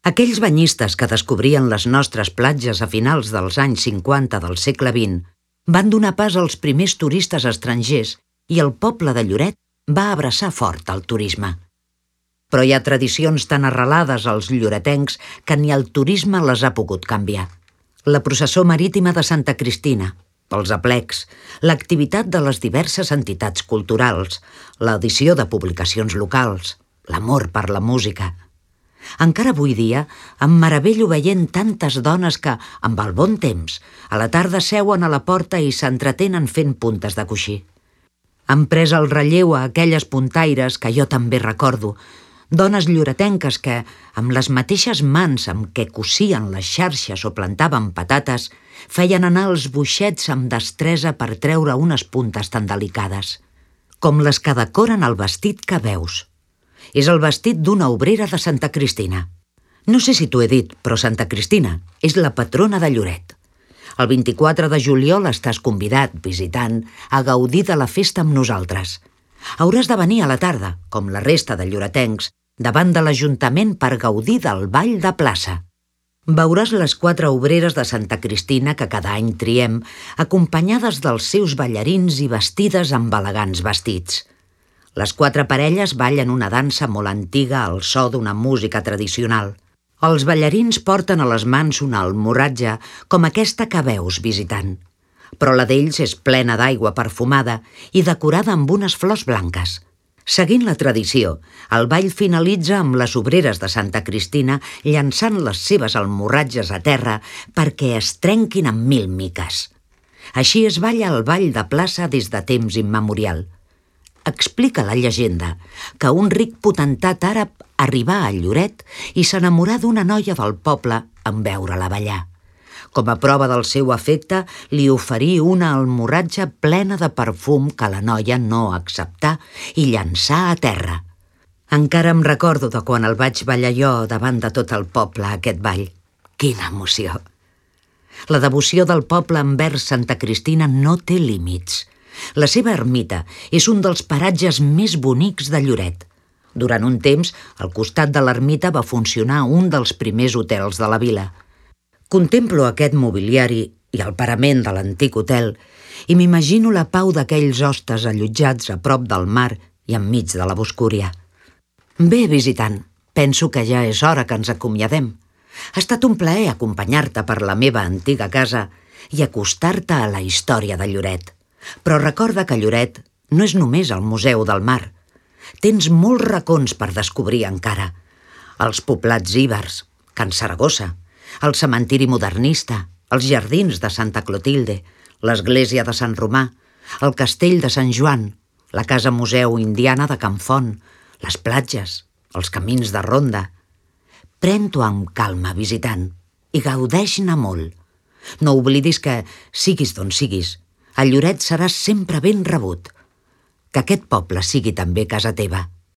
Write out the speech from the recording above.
Aquells banyistes que descobrien les nostres platges a finals dels anys 50 del segle XX van donar pas als primers turistes estrangers i el poble de Lloret va abraçar fort el turisme. Però hi ha tradicions tan arrelades als lloretencs que ni el turisme les ha pogut canviar. La processó marítima de Santa Cristina, els aplecs, l'activitat de les diverses entitats culturals, l'edició de publicacions locals, l'amor per la música. Encara avui dia em meravello veient tantes dones que, amb el bon temps, a la tarda seuen a la porta i s'entretenen fent puntes de coixí. Han pres el relleu a aquelles puntaires que jo també recordo, dones lloretenques que, amb les mateixes mans amb què cosien les xarxes o plantaven patates, feien anar els boixets amb destresa per treure unes puntes tan delicades, com les que decoren el vestit que veus. És el vestit d'una obrera de Santa Cristina. No sé si t'ho he dit, però Santa Cristina és la patrona de Lloret. El 24 de juliol estàs convidat, visitant, a gaudir de la festa amb nosaltres. Hauràs de venir a la tarda, com la resta de lloretencs, davant de l'Ajuntament per gaudir del ball de plaça. Veuràs les 4 obreres de Santa Cristina que cada any triem, acompanyades dels seus ballarins i vestides amb elegants vestits. Les 4 parelles ballen una dansa molt antiga al so d'una música tradicional. Els ballarins porten a les mans una almorratge com aquesta que veus visitant, però la d'ells és plena d'aigua perfumada i decorada amb unes flors blanques. Seguint la tradició, el ball finalitza amb les obreres de Santa Cristina llançant les seves almorratges a terra perquè es trenquin en 1000 miques. Així es balla el ball de plaça des de temps immemorial. Explica la llegenda que un ric potentat àrab arribà a Lloret i s'enamorà d'una noia del poble en veure-la ballar. Com a prova del seu afecte, li oferí una almorratge plena de perfum que la noia no acceptà i llançà a terra. Encara em recordo de quan el vaig ballar jo davant de tot el poble, aquest ball. Quina emoció! La devoció del poble envers Santa Cristina no té límits. La seva ermita és un dels paratges més bonics de Lloret. Durant un temps, al costat de l'ermita va funcionar un dels primers hotels de la vila. Contemplo aquest mobiliari i el parament de l'antic hotel i m'imagino la pau d'aquells hostes allotjats a prop del mar i enmig de la boscúria. Bé, visitant, penso que ja és hora que ens acomiadem. Ha estat un plaer acompanyar-te per la meva antiga casa i acostar-te a la història de Lloret. Però recorda que Lloret no és només el Museu del Mar. Tens molts racons per descobrir encara. Els poblats ibers, Can Saragossa, el cementiri modernista, els jardins de Santa Clotilde, l'església de Sant Romà, el castell de Sant Joan, la casa museu indiana de Can Font, les platges, els camins de ronda. Pren-t'ho amb calma, visitant, i gaudeix-ne molt. No oblidis que, siguis d'on siguis, a Lloret seràs sempre ben rebut. Que aquest poble sigui també casa teva.